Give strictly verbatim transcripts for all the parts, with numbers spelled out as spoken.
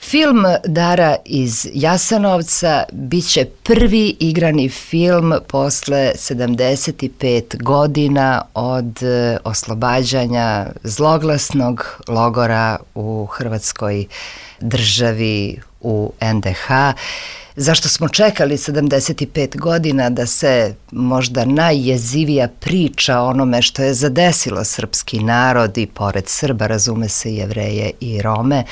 Film Dara iz Jasenovca bit će prvi igrani film posle sedamdeset pet godina od oslobađanja zloglasnog logora u Hrvatskoj državi u en de ha. Zašto smo čekali sedamdeset pet godina da se možda najjezivija priča o onome što je zadesilo srpski narod i pored Srba, razume se, Jevreje i Rome,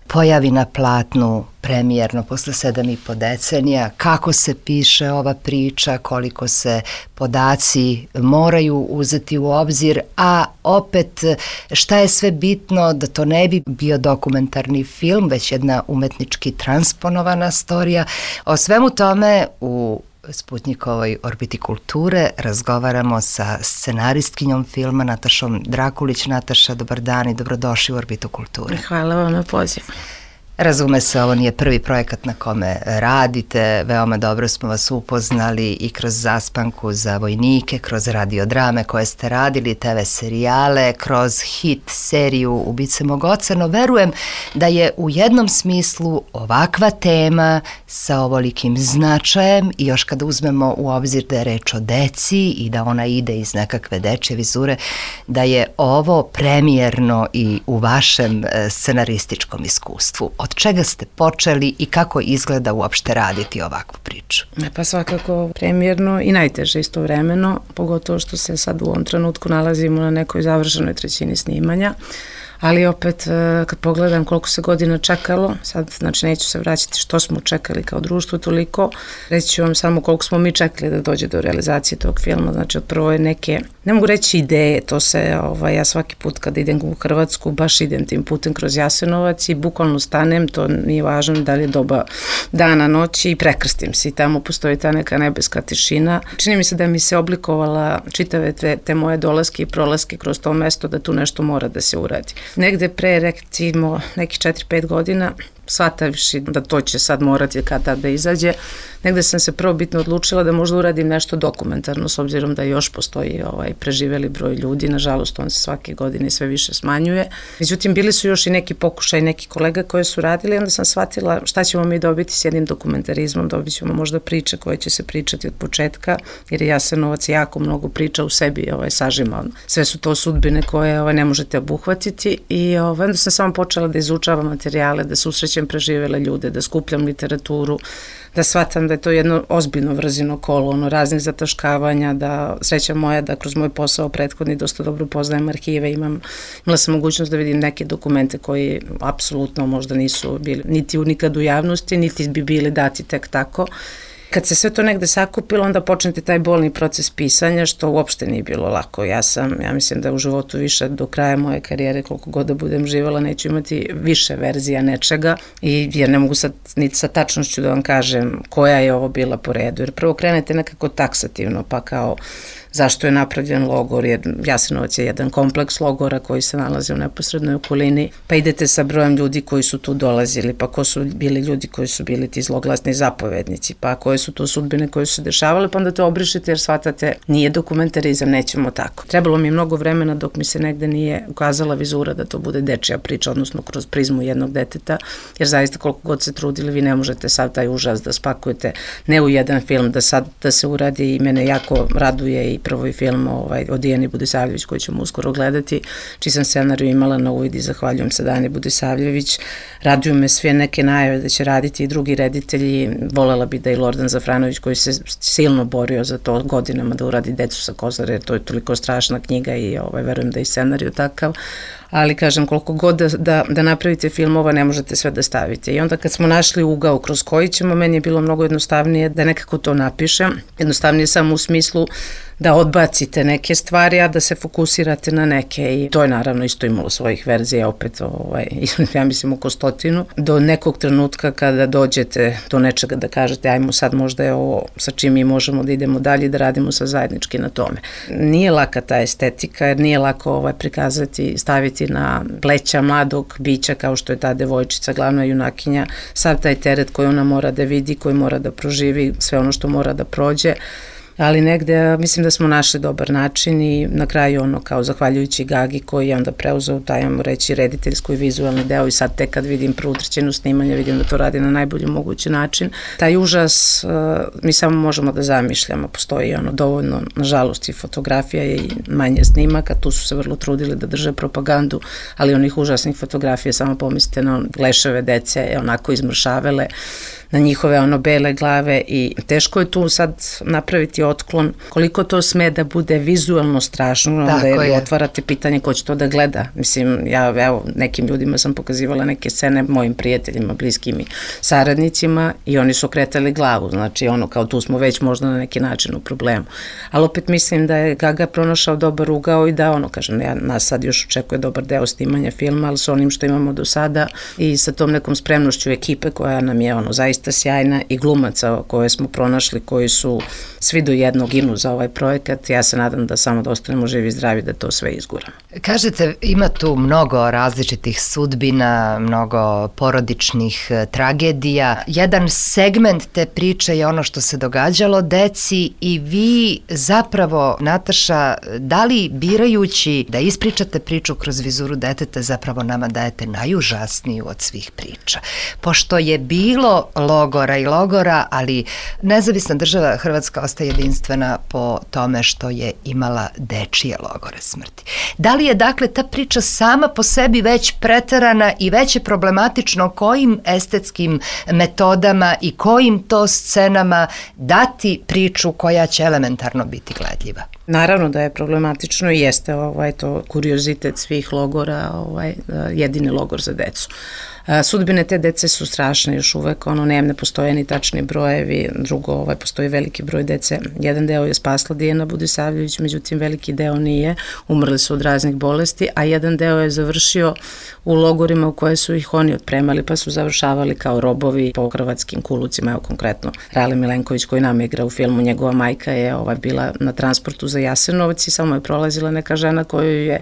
pojavi na platnu premijerno posle sedam i po decenija, kako se piše ova priča, koliko se podaci moraju uzeti u obzir, a opet šta je sve bitno da to ne bi bio dokumentarni film, već jedna umetnički transponovana storija. O svemu tome u Sputnjikovoj orbiti kulture razgovaramo sa scenaristkinjom filma Natašom Drakulić. Nataša, dobar dan i dobrodošli u Orbitu kulture. Hvala vam na pozivu. Razume se, ovo nije prvi projekat na kome radite, veoma dobro smo vas upoznali i kroz Zaspanku za vojnike, kroz radiodrame koje ste radili, te ve serijale, kroz hit seriju Ubice mog oca, no verujem da je u jednom smislu ovakva tema sa ovolikim značajem i još kada uzmemo u obzir da je reč o deci i da ona ide iz nekakve dečje vizure, da je ovo premijerno i u vašem scenarističkom iskustvu. Od čega ste počeli i kako izgleda uopšte raditi ovakvu priču? Pa svakako premijerno i najteže istovremeno, pogotovo što se sad u ovom trenutku nalazimo na nekoj završenoj trećini snimanja. Ali opet, kad pogledam koliko se godina čekalo, sad znači neću se vraćati što smo čekali kao društvo toliko, reći ću vam samo koliko smo mi čekali da dođe do realizacije tog filma. Znači od prvo je neke, ne mogu reći ideje, to se, ovaj, ja svaki put kada idem u Hrvatsku, baš idem tim putem kroz Jasenovac i bukvalno stanem, to nije važno da li je doba dana, noći i prekrstim se i tamo postoji ta neka nebeska tišina. Čini mi se da mi se oblikovala čitave te, te moje dolaske i prolaske kroz to mesto da tu nešto mora da se uradi. Negde pre, recimo, nekih četiri pet godina, shvatavši da to će sad morati kad tad da izađe, negde sam se prvobitno odlučila da možda uradim nešto dokumentarno, s obzirom da još postoji ovaj preživeli broj ljudi, nažalost on se svake godine sve više smanjuje. Međutim, bili su još i neki pokušaj, neki kolega koje su radili, onda sam shvatila šta ćemo mi dobiti s jednim dokumentarizmom, dobit ćemo možda priče koje će se pričati od početka, jer je Jasenovac jako mnogo priča u sebi ovaj, sažima. Sve su to sudbine koje ovaj, ne možete obuhvatiti i ovaj, onda sam samo počela da izučavam materijale, da susrećem preživele ljude, da skupljam literaturu, da shvatam da je to jedno ozbiljno vrzino kolo, ono raznih zataškavanja, da sreća moja da kroz moj posao prethodni dosta dobro poznajem arhive, imam, imala sam mogućnost da vidim neke dokumente koji apsolutno možda nisu bili niti nikad u javnosti, niti bi bili dati tek tako. Kad se sve to negde sakupilo, onda počnete taj bolni proces pisanja, što uopšte nije bilo lako. Ja sam, ja mislim da u životu više do kraja moje karijere, koliko god da budem živala, neću imati više verzija nečega, i jer ne mogu sad niti sa tačnošću da vam kažem koja je ovo bila po redu. Jer prvo krenete nekako taksativno, pa kao zašto je napravljen logor, jer Jasenovac je jedan kompleks logora koji se nalazi u neposrednoj okolini, pa idete sa brojem ljudi koji su tu dolazili, pa ko su bili ljudi koji su bili ti zloglasni zapovednici, pa koje su to sudbine koje su se dešavale, pa onda to obrišete jer shvatate nije dokumentarizam, nećemo tako. Trebalo mi je mnogo vremena dok mi se negde nije ukazala vizura da to bude dečija priča, odnosno kroz prizmu jednog deteta, jer zaista koliko god se trudili, vi ne možete sad taj užas da spakujete ne u jedan film, da sad da se uradi, i mene jako raduje i prvo i film ovaj, od Dijane Budisavljević koji ćemo uskoro gledati, čiji sam scenariju imala na uvid i zahvaljujem se Dani Budisavljević. Raduju me sve neke najave da će raditi i drugi reditelji, volela bi da i Lordan Zafranović koji se silno borio za to godinama da uradi Decu sa Kozare, jer to je toliko strašna knjiga i ovaj, verujem da je scenariju takav, ali kažem koliko god da, da, da napravite filmova ne možete sve da stavite. I onda kad smo našli ugao kroz koji ćemo, meni je bilo mnogo jednostavnije da nekako to napišem, jednostavnije samo u smislu da odbacite neke stvari, a da se fokusirate na neke, i to je naravno isto imalo svojih verzija, opet ovaj, ja mislim oko stotinu, do nekog trenutka kada dođete do nečega da kažete ajmo sad možda je ovo sa čim mi možemo da idemo dalje, da radimo sa zajednički na tome. Nije laka ta estetika, jer nije lako ovaj, prikazati, staviti na pleća mladog bića kao što je ta devojčica, glavna junakinja, sav taj teret koji ona mora da vidi, koji mora da proživi, sve ono što mora da prođe. ali negde mislim da smo našli dobar način i na kraju ono kao zahvaljujući Gagi koji je onda preuzeo taj, ajmo reći, rediteljsko i vizualni deo i sad tek kad vidim prvu trećinu snimanja vidim da to radi na najbolji mogući način. Taj užas mi samo možemo da zamišljamo, postoji ono dovoljno, nažalost, i fotografija i manje snimaka, tu su se vrlo trudili da drže propagandu, ali onih užasnih fotografija, samo pomislite na leševe dece, onako izmršavele, na njihove ono bele glave i teško je tu sad napraviti otklon. Koliko to sme da bude vizualno strašno, onda je, je. otvarate pitanje ko će to da gleda. Mislim, ja evo, nekim ljudima sam pokazivala neke scene, mojim prijateljima, bliskim i saradnicima i oni su okretali glavu, znači ono kao tu smo već možda na neki način u problemu. Ali opet mislim da je Gaga pronašao dobar ugao i da ono, kažem, ja, nas sad još očekuje dobar deo snimanja filma, ali sa onim što imamo do sada i sa tom nekom spremnošću ekipe koja nam je ono zaista sjajna i glumaca koje smo pronašli, koji su svi do jednog inu za ovaj projekat. Ja se nadam da samo da ostanemo živi i zdravi, da to sve izguramo. Kažete, ima tu mnogo različitih sudbina, mnogo porodičnih tragedija. Jedan segment te priče je ono što se događalo deci i vi zapravo, Nataša, da li birajući da ispričate priču kroz vizuru deteta zapravo nama dajete najužasniju od svih priča? Pošto je bilo logora i logora, ali nezavisna država Hrvatska ostaje jedinstvena po tome što je imala dečije logore smrti. Da li je dakle ta priča sama po sebi već preterana i već je problematično kojim estetskim metodama i kojim to scenama dati priču koja će elementarno biti gledljiva? Naravno da je problematično i jeste ovaj, to kuriozitet svih logora, ovaj, jedini logor za decu. Sudbine te dece su strašne još uvek, ono ne, ne postoje ni tačni brojevi, drugo ovaj, postoji veliki broj dece, jedan deo je spasla Dijana Budisavljević, međutim veliki deo nije, umrli su od raznih bolesti, a jedan deo je završio u logorima u koje su ih oni otpremali, pa su završavali kao robovi po hrvatskim kulucima, evo konkretno Rale Milenković koji nam igra u filmu, njegova majka je ovaj, bila na transportu za Jasenovac i samo je prolazila neka žena koju je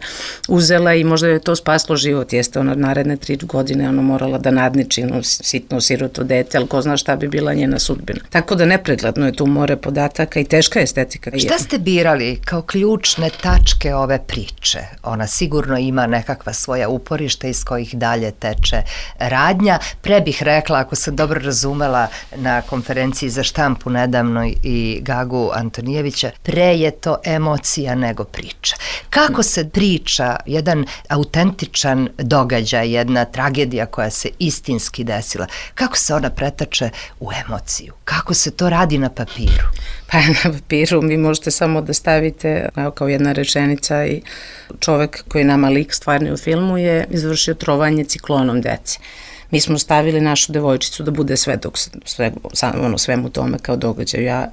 uzela i možda je to spaslo život, jeste ona naredne tri godine ono morala da nadniči no, sitno siroto dete, ali ko zna šta bi bila njena sudbina. Tako da nepregledno je tu more podataka i teška estetika. Šta ste birali kao ključne tačke ove priče? Ona sigurno ima nekakva svoja uporišta iz kojih dalje teče radnja. Pre bih rekla, ako sam dobro razumela na konferenciji za štampu nedavno i Gagu Antonijevića, pre je to emocija nego priča. Kako se priča jedan autentičan događaj, jedna tragedija koja se istinski desila, kako se ona pretače u emociju? Kako se to radi na papiru? Pa na papiru vi možete samo da stavite kao jedna rečenica i čovek koji nama lik stvarni u filmu je izvršio trovanje ciklonom dece. Mi smo stavili našu devojčicu da bude svedok sve, ono, svemu tome kao događaju. Ja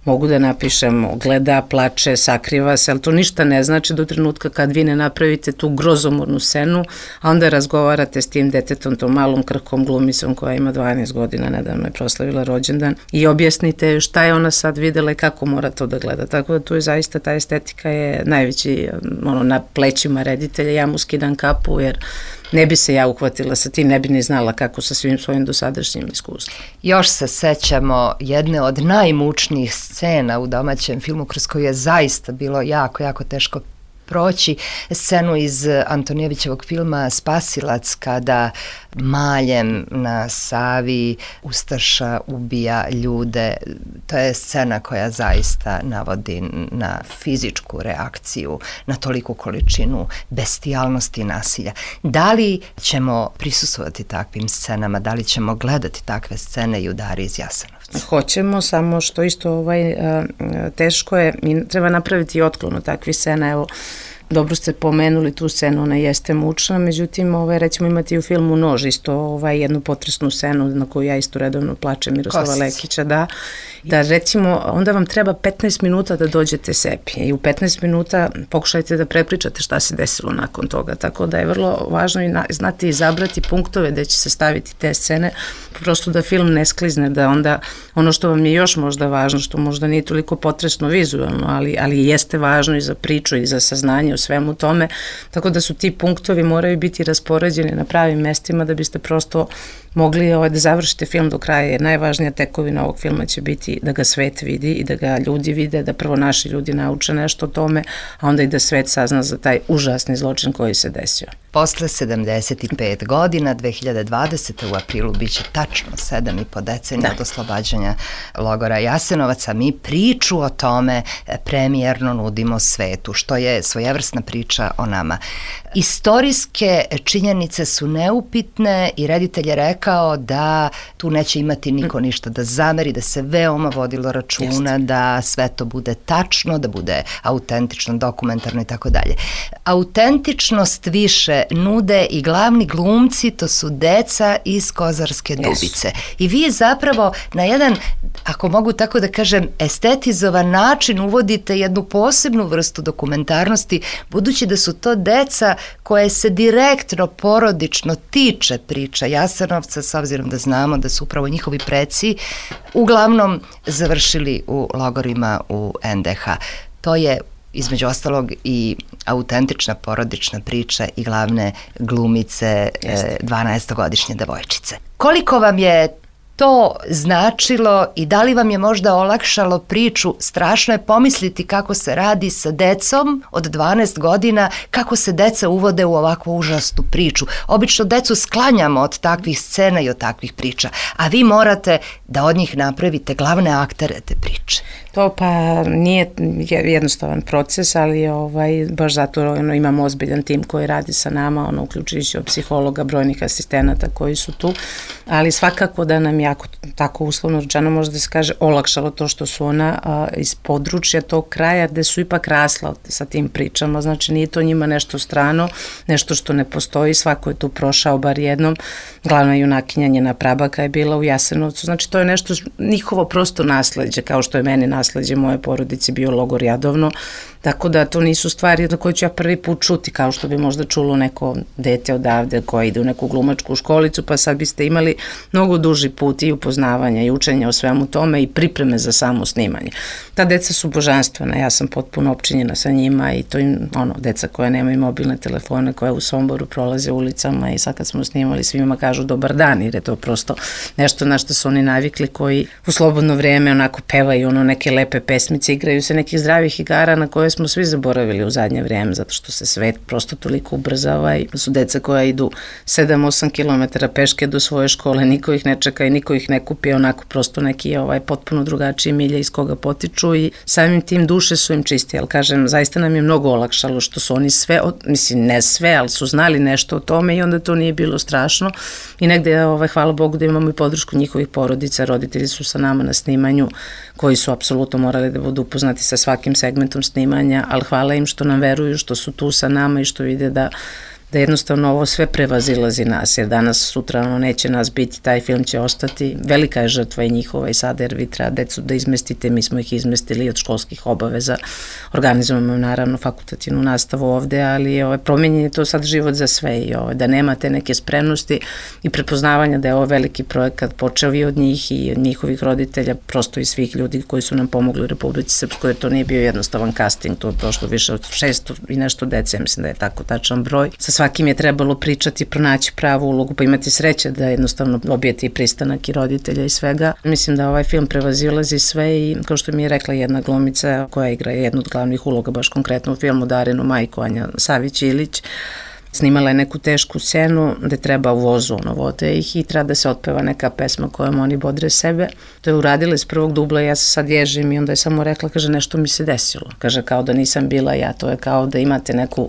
mogu da napišem, gleda, plače, sakriva se, ali to ništa ne znači do trenutka kad vi ne napravite tu grozomornu scenu, a onda razgovarate s tim detetom, tom malom krhkom glumicom koja ima dvanaest godina, nedavno je proslavila rođendan i objasnite šta je ona sad videla i kako mora to da gleda. Tako da tu je zaista ta estetika je najveći, ono, na plećima reditelja, ja mu skidam kapu jer ne bi se ja uhvatila sa tim, ne bi ni znala kako sa svim svojim dosadašnjim iskustvom. Još se sećamo jedne od najmučnijih scena u domaćem filmu kroz koju je zaista bilo jako, jako teško proći, scenu iz Antonijevićevog filma Spasilac kada maljem na Savi ustaša ubija ljude. To je scena koja zaista navodi na fizičku reakciju, na toliku količinu bestijalnosti i nasilja. Da li ćemo prisustvovati takvim scenama, da li ćemo gledati takve scene i u Dari iz Jasenovca? Hoćemo, samo što isto ovaj, teško je, treba napraviti otklon od takvih scena, evo, dobro ste pomenuli tu scenu, ona jeste mučna, međutim, ovaj, recimo imati u filmu Nož isto ovaj, jednu potresnu scenu na koju ja isto redovno plačem Miroslava Kost. Lekića, da, da recimo onda vam treba petnaest minuta da dođete sebi i u petnaest minuta pokušajte da prepričate šta se desilo nakon toga, tako da je vrlo važno i na, znati izabrati punktove gde će se staviti te scene, prosto da film ne sklizne, da onda ono što vam je još možda važno, što možda nije toliko potresno vizualno, ali, ali jeste važno i za priču i za saznanje u svemu tome, tako da su ti punktovi moraju biti raspoređeni na pravim mestima da biste prosto mogli ovaj, da završite film do kraja, jer najvažnija tekovina ovog filma će biti da ga svet vidi i da ga ljudi vide, da prvo naši ljudi nauče nešto o tome, a onda i da svet sazna za taj užasni zločin koji se desio. Posle sedamdeset pet godina, dve hiljade dvadesete. u aprilu biće tačno sedam i po decenija od oslobađanja logora Jasenovac, a mi priču o tome premijerno nudimo svetu, što je svojevrsna priča o nama. Istorijske činjenice su neupitne i reditelj je rekao da tu neće imati niko ništa da zameri, da se veoma vodilo računa, Jeste. Da sve to bude tačno, da bude autentično, dokumentarno i tako dalje. Autentičnost više nude i glavni glumci, to su deca iz Kozarske Dubice. I vi zapravo na jedan, ako mogu tako da kažem, estetizovan način uvodite jednu posebnu vrstu dokumentarnosti, budući da su to deca koje se direktno, porodično tiče priča Jasenovca, s obzirom da znamo da su upravo njihovi preci uglavnom završili u logorima u en de ha. To je između ostalog i autentična porodična priča i glavne glumice dvanaestogodišnje devojčice. Koliko vam je to značilo i da li vam je možda olakšalo priču? Strašno je pomisliti kako se radi sa decom od dvanaest godina, kako se deca uvode u ovakvu užasnu priču. Obično decu sklanjamo od takvih scena i od takvih priča, a vi morate da od njih napravite glavne aktere te priče. To pa nije jednostavan proces, ali ovaj, baš zato ono, imamo ozbiljan tim koji radi sa nama, ono, uključujući od psihologa, brojnih asistenata koji su tu, ali svakako da nam jako, tako uslovno rečeno može da se kaže, olakšalo to što su ona a, iz područja tog kraja gde su ipak rasla sa tim pričama, znači nije to njima nešto strano, nešto što ne postoji, svako je tu prošao bar jednom, glavna junakinja njena prabaka je bila u Jasenovcu, znači to je nešto njihovo prosto nasleđe, kao što je meni nasleđe moje porodice bio logor Jadovno, tako da to nisu stvari na koje ću ja prvi put čuti, kao što bi možda čulo neko dete odavde koje ide u neku glumačku školicu, pa sad biste imali mnogo duži put i upoznavanja i učenja o svemu tome i pripreme za samo snimanje. Ta deca su božanstvena, ja sam potpuno opčinjena sa njima i to im, ono, deca koja nemaju mobilne telefone, koja u Somboru prolaze ulicama i sad kad smo snimali svima kažu dobar dan, jer je to prosto nešto na što su oni navikli, koji u slobodno vreme onako pevaju ono neke lepe pesmice, igraju se nekih zdravih igara na koje smo svi zaboravili u zadnje vrijeme, zato što se svet prosto toliko ubrzava i su deca koja idu sedam osam kilometara peške do svoje škole, niko ih ne čeka i niko ih ne kupi, onako prosto neki ovaj potpuno drugačiji milje iz koga potiču i samim tim duše su im čisti, ali kažem, zaista nam je mnogo olakšalo što su oni sve, mislim ne sve, ali su znali nešto o tome i onda to nije bilo strašno i negde, ovaj, hvala Bogu da imamo i podršku njihovih porodica, roditelji su sa nama na snimanju koji su apsolutno morali da budu upoznati sa svakim segmentom snimanja, ali hvala im što nam veruju, što su tu sa nama i što vide da da jednostavno ovo sve prevazilazi nas, jer danas, sutra ono neće nas biti, taj film će ostati, velika je žrtva i njihova i sada, jer vi treba decu da izmestite, mi smo ih izmestili od školskih obaveza, organizujemo naravno fakultativnu nastavu ovde, ali ovaj, promenjen je to sad život za sve i ovaj, da nema te neke spremnosti i prepoznavanja da je ovo veliki projekat počeo i od njih i od njihovih roditelja, prosto i svih ljudi koji su nam pomogli u Republici Srpskoj, jer to nije bio jednostavan casting, to je prošlo više od šesto i nešto dece, mislim da je tako tačan broj. Sa svakim je trebalo pričati, pronaći pravu ulogu, pa imati sreće da jednostavno dobijete i pristanak i roditelja i svega. Mislim da ovaj film prevazilazi sve i kao što mi je rekla jedna glumica koja igra jednu od glavnih uloga baš konkretno u filmu, Darinu majku, Anja Savić-Ilić, snimala je neku tešku scenu gde treba u vozu, ono, vode ih i treba da se otpeva neka pesma kojom oni bodre sebe. To je uradila iz prvog dubla i ja se sad ježim i onda je samo rekla, kaže, nešto mi se desilo. Kaže, kao da nisam bila ja, to je kao da imate neku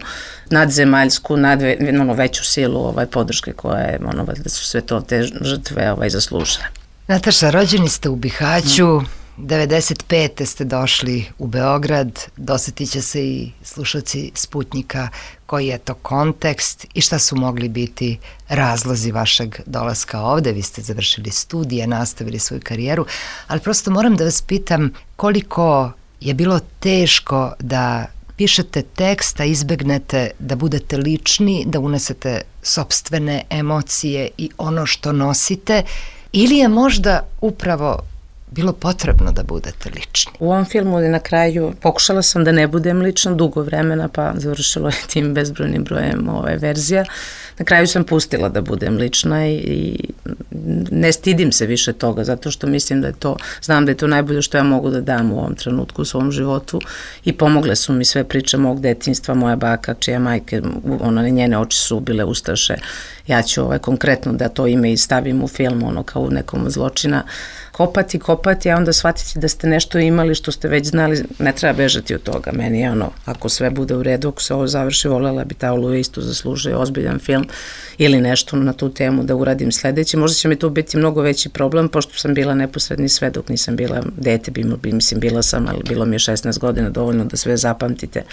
nadzemaljsku, nadve, ono, veću silu ovaj, podrške koja je, ono, da su sve to te žrtve ovaj, zaslužile. Nataša, rođeni ste u Bihaću, devedeset pete ste došli u Beograd, dosetit će se i slušalci Sputnjika koji je to kontekst i šta su mogli biti razlozi vašeg dolaska ovde. Vi ste završili studije, nastavili svoju karijeru, ali prosto moram da vas pitam koliko je bilo teško da pišete tekst, a izbegnete da budete lični, da unesete sopstvene emocije i ono što nosite, ili je možda upravo bilo potrebno da budete lični? U ovom filmu na kraju pokušala sam da ne budem lična dugo vremena, pa završilo je tim bezbrojnim brojem ove verzija. Na kraju sam pustila da budem lična i, i ne stidim se više toga, zato što mislim da je to, znam da je to najbolje što ja mogu da dam u ovom trenutku u svom životu i pomogle su mi sve priče mog detinjstva, moja baka, čija majke, ona, njene oči su bile ustaše, ja ću ovaj, konkretno da to ime i stavim u film, ono kao u nekom od zločina, kopati, kopati, a onda shvatiti da ste nešto imali što ste već znali, ne treba bežati od toga. Meni je ono, ako sve bude u redu, ako se ovo završi, voljela bi ta Oluja isto zaslužuje ozbiljan film ili nešto na tu temu da uradim sledeći. Možda će mi to biti mnogo veći problem, pošto sam bila neposredni svedok, nisam bila dete, bi, mislim, bila sam, ali bilo mi je šesnaest godina dovoljno da sve zapamtite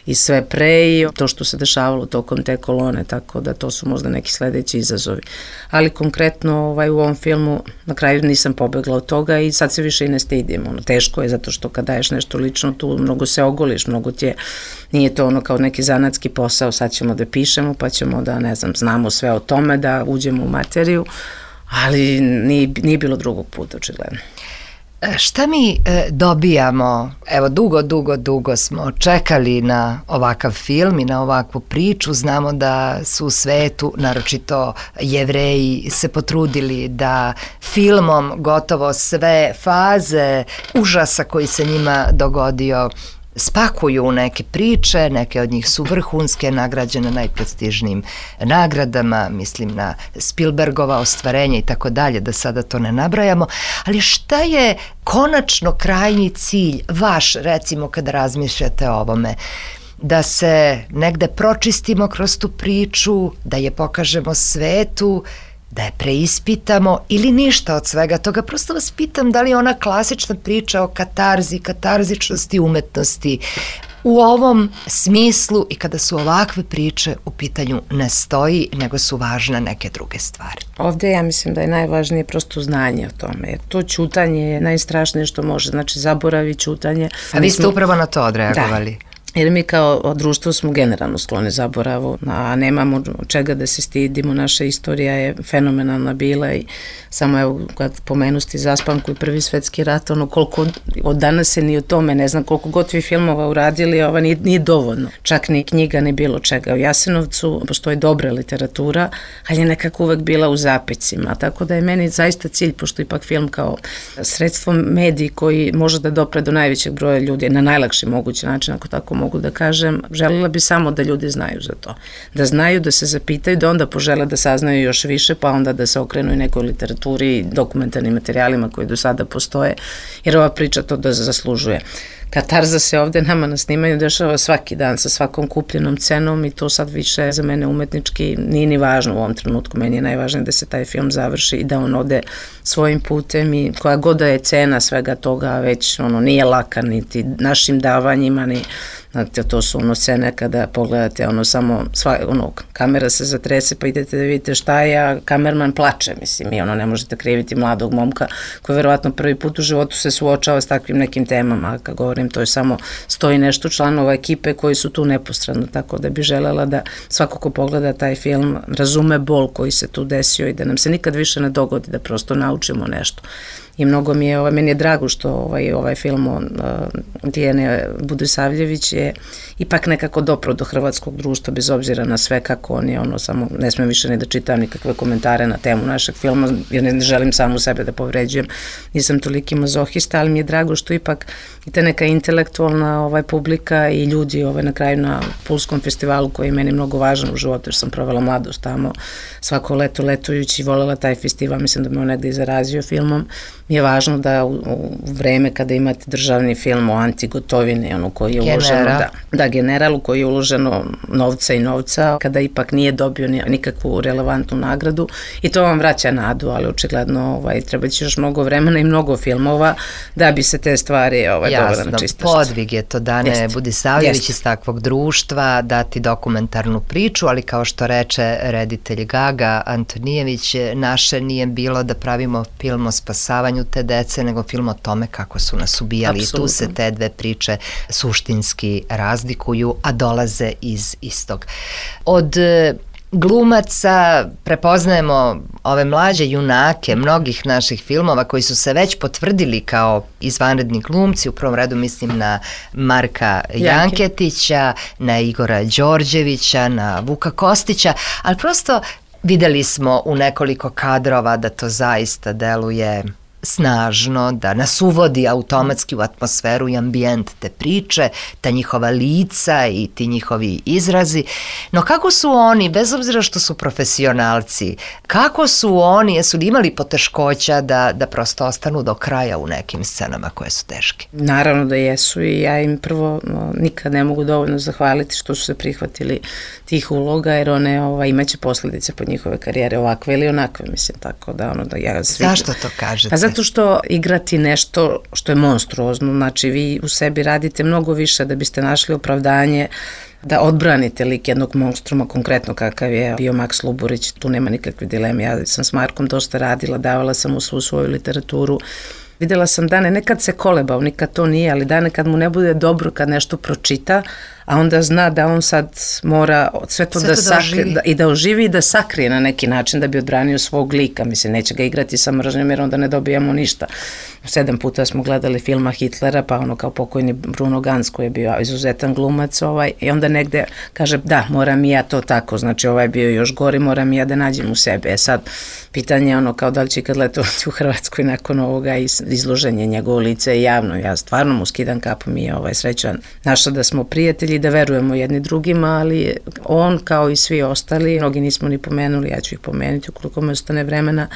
i sve pre i to što se dešavalo tokom te kolone, tako da to su možda neki sledeći izazovi. Ali konkretno ovaj, u ovom filmu na kraju nisam pobegla od toga i sad se više i ne stidim. Ono, teško je zato što kad daješ nešto lično tu mnogo se ogoliš, mnogo ti je, nije to ono kao neki zanatski posao, sad ćemo da pišemo pa ćemo da, ne znam, znamo sve o tome, da uđemo u materiju, ali nije, nije bilo drugog puta, očigledno. Šta mi e, dobijamo? Evo, dugo, dugo, dugo smo čekali na ovakav film i na ovakvu priču. Znamo da su u svetu, naročito Jevreji, se potrudili da filmom gotovo sve faze užasa koji se njima dogodio spakuju u neke priče, neke od njih su vrhunske, nagrađene najprestižnijim nagradama, mislim na Spielbergova ostvarenja i tako dalje, da sada to ne nabrajamo, ali šta je konačno krajnji cilj vaš, recimo kada razmišljate o ovome? Da se negde pročistimo kroz tu priču, da je pokažemo svetu, da je preispitamo ili ništa od svega toga. Prosto vas pitam da li ona klasična priča o katarzi, katarzičnosti umetnosti u ovom smislu i kada su ovakve priče u pitanju ne stoji, nego su važne neke druge stvari. Ovde ja mislim da je najvažnije prosto znanje o tome, jer to ćutanje je najstrašnije što može, znači zaboravi, ćutanje. A vi ste smo upravo na to odreagovali. Da. Jer mi kao društvo smo generalno skloni zaboravu, a nemamo čega da se stidimo, naša istorija je fenomenalna bila i samo evo kad pomenusti Zaspanku i Prvi svetski rat, ono koliko od danas se ni o tome, ne znam koliko god vi filmova uradili, ova nije, nije dovoljno, čak ni knjiga ni bilo čega. U Jasenovcu postoji dobra literatura, ali je nekako uvek bila u zapecima, tako da je meni zaista cilj, pošto ipak film kao sredstvo mediji koji može da dopre do najvećeg broja ljudi na najlakši mogući način, ako tako mogu da kažem, želela bi samo da ljudi znaju za to. Da znaju, da se zapitaju, da onda požele da saznaju još više, pa onda da se okrenu i nekoj literaturi i dokumentarnim materijalima koji do sada postoje, jer ova priča to da zaslužuje. Katarza se ovde nama na snimanju dešava svaki dan sa svakom kupljenom cenom i to sad više za mene umetnički nije ni važno u ovom trenutku. Meni je najvažnije da se taj film završi i da on ode svojim putem i koja god da je cena svega toga već ono nije laka niti našim davanjima ni znate, to su ono scene kada pogledate ono samo, sva, ono, kamera se zatrese pa idete da vidite šta je, a kamerman plače, mislim, i ono ne možete kriviti mladog momka koji verovatno prvi put u životu se suočava s takvim nekim temama, a kad govorim to je samo stoji nešto članova ekipe koji su tu neposredno, tako da bi želela da svako ko pogleda taj film razume bol koji se tu desio i da nam se nikad više ne dogodi, da prosto naučimo nešto. I mnogo mi je, ovaj, meni je drago što ovaj, ovaj film uh, Dijane Budisavljević je ipak nekako dopro do hrvatskog društva, bez obzira na sve kako on je, ono, samo ne smem više ni da čitam nikakve komentare na temu našeg filma, jer ne želim samu sebe da povređujem, nisam toliki mazohista, ali mi je drago što ipak i ta neka intelektualna ovaj, publika i ljudi ovaj, na kraju na Pulskom festivalu koji je meni mnogo važan u životu, jer sam provela mladost tamo, svako leto letujući, volela taj festival, mislim da me on negde i zarazio filmom. Mi je važno da u, u vreme kada imate državni film o Antigotovini, ono koji je uloženo, da, da, generalu koji je uloženo novca i novca, kada ipak nije dobio nikakvu relevantnu nagradu i to vam vraća nadu, ali očigledno ovaj, treba će još mnogo vremena i mnogo filmova da bi se te stvari ovaj, dovele na čistašće. Jasno, podvig je to Dane Budisavljević iz takvog društva, dati dokumentarnu priču, ali kao što reče reditelj Gaga Antonijević, naše nije bilo da pravimo film o spasavanju te dece, nego film o tome kako su nas ubijali. Absolutno. I tu se te dve priče suštinski razlikuju, a dolaze iz istog. Od glumaca prepoznajemo ove mlađe junake mnogih naših filmova koji su se već potvrdili kao izvanredni glumci, u prvom redu mislim na Marka Janketića, na Igora Đorđevića, na Vuka Kostića, ali prosto Videli smo u nekoliko kadrova da to zaista deluje snažno, da nas uvodi automatski u atmosferu i ambijent te priče, ta njihova lica i ti njihovi izrazi. No kako su oni, bez obzira što su profesionalci, kako su oni, jesu li imali poteškoća da, da prosto ostanu do kraja u nekim scenama koje su teške? Naravno da jesu i ja im prvo no, nikad ne mogu dovoljno zahvaliti što su se prihvatili tih uloga, jer one ovaj, imaće posljedice po njihove karijere ovakve ili onakve, mislim, tako da ono da ja... Svi... Zašto to kažete? Pa zato što igrati nešto što je monstruozno, znači vi u sebi radite mnogo više da biste našli opravdanje da odbranite lik jednog monstruma, konkretno kakav je bio Maks Luburić, tu nema nikakve dileme. Ja sam s Markom dosta radila, davala sam mu svu svoju literaturu. Videla sam dane, nekad se kolebao, nikad to nije, ali dane kad mu ne bude dobro, kad nešto pročita, a onda zna da on sad mora sve to, sve da, to sakri, da, da i da oživi i da sakrije na neki način da bi odbranio svog lika. Mislim, neće ga igrati sa mržnjom jer onda ne dobijamo ništa. Sedam puta smo gledali filma Hitlera, pa ono kao pokojni Bruno Ganz koji je bio izuzetan glumac ovaj, i onda negde kaže da, moram i ja to tako, znači ovaj je bio još gori, moram i ja da nađem u sebe. E sad, pitanje je ono kao da li će kad letovati u Hrvatskoj nakon ovoga izloženje njegovo lice javno. Ja stvarno mu skidam kapu, mi je ovaj srećan naša da smo prijatelji, da verujemo jedni drugima, ali on kao i svi ostali, mnogi nismo ni pomenuli, ja ću ih pomenuti ukoliko me ostane vremena,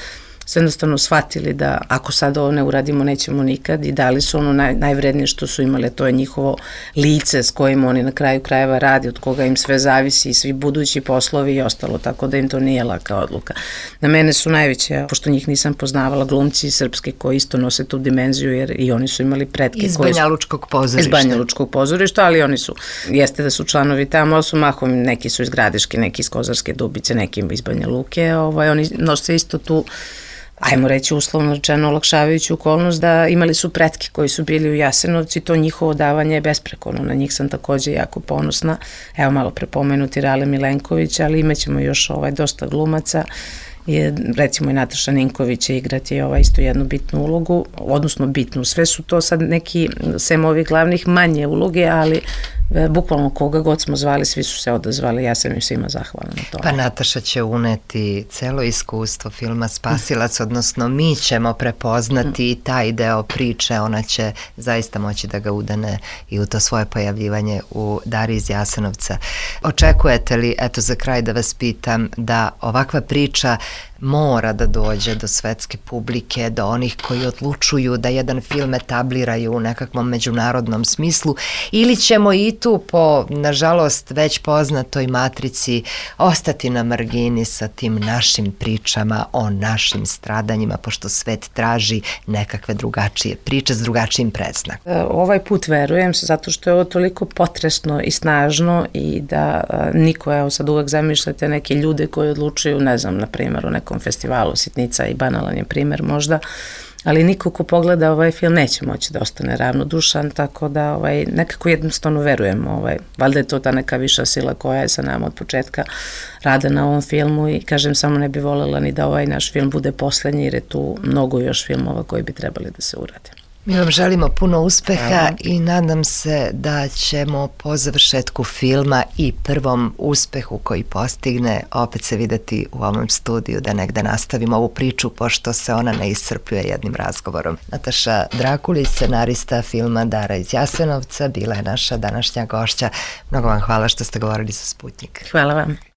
su jednostavno shvatili da ako sad ovo ne uradimo nećemo nikad i dali su ono naj, najvrednije što su imali, to je njihovo lice s kojim oni na kraju krajeva radi, od koga im sve zavisi i svi budući poslovi i ostalo, tako da im to nije laka odluka. Na mene su najveće, pošto njih nisam poznavala, glumci srpski koji isto nose tu dimenziju jer i oni su imali pretke. Iz Banja Lučkog pozorišta. Iz Banja Lučkog pozorišta, ali oni su, jeste da su članovi tamo, ali su mahom, neki su iz Gradiške, neki iz Kozarske Dubice, neki iz Banja Luke, ovaj, oni nose isto tu, ajmo reći uslovno rečeno, olakšavajuću okolnost da imali su pretke koji su bili u Jasenovcu i to njihovo davanje je besprekorno. Na njih sam takođe jako ponosna. Evo malo prepomenuti Rale Milenković, ali imaćemo još ovaj, dosta glumaca. Je, recimo i Nataša Ninković će igrati ovaj, isto jednu bitnu ulogu, odnosno bitnu. Sve su to sad neki, sem ovih glavnih, manje uloge, ali e, bukvalno koga god smo zvali, svi su se odazvali, ja sam im svima zahvalna na to. Pa Nataša će uneti celo iskustvo filma Spasilac, odnosno mi ćemo prepoznati mm. taj deo priče, ona će zaista moći da ga udane i u to svoje pojavljivanje u Dari iz Jasenovca. Očekujete li, eto za kraj da vas pitam, da ovakva priča mora da dođe do svetske publike, do onih koji odlučuju da jedan film etabliraju u nekakvom međunarodnom smislu, ili ćemo i tu po, nažalost, već poznatoj matrici ostati na margini sa tim našim pričama o našim stradanjima, pošto svet traži nekakve drugačije priče s drugačijim predznakom. Ovaj put verujem, zato što je ovo toliko potresno i snažno i da niko, evo sad uvek zamišljate neke ljude koji odlučuju, ne znam, na primjer, u nekom festivalu Sitnica i banalan je primer možda, ali niko ko pogleda ovaj film neće moći da ostane ravnodušan, tako da ovaj, nekako jednostavno verujem, ovaj, valjda je to ta neka viša sila koja je sa nama od početka rada na ovom filmu i kažem, samo ne bi voljela ni da ovaj naš film bude poslednji jer je tu mnogo još filmova koji bi trebali da se urade. Mi vam želimo puno uspeha i nadam se da ćemo po završetku filma i prvom uspehu koji postigne opet se videti u ovom studiju da negde nastavimo ovu priču pošto se ona ne iscrpljuje jednim razgovorom. Nataša Drakulić, scenarista filma Dara iz Jasenovca, bila je naša današnja gošća. Mnogo vam hvala što ste govorili za Sputnjik. Hvala vam.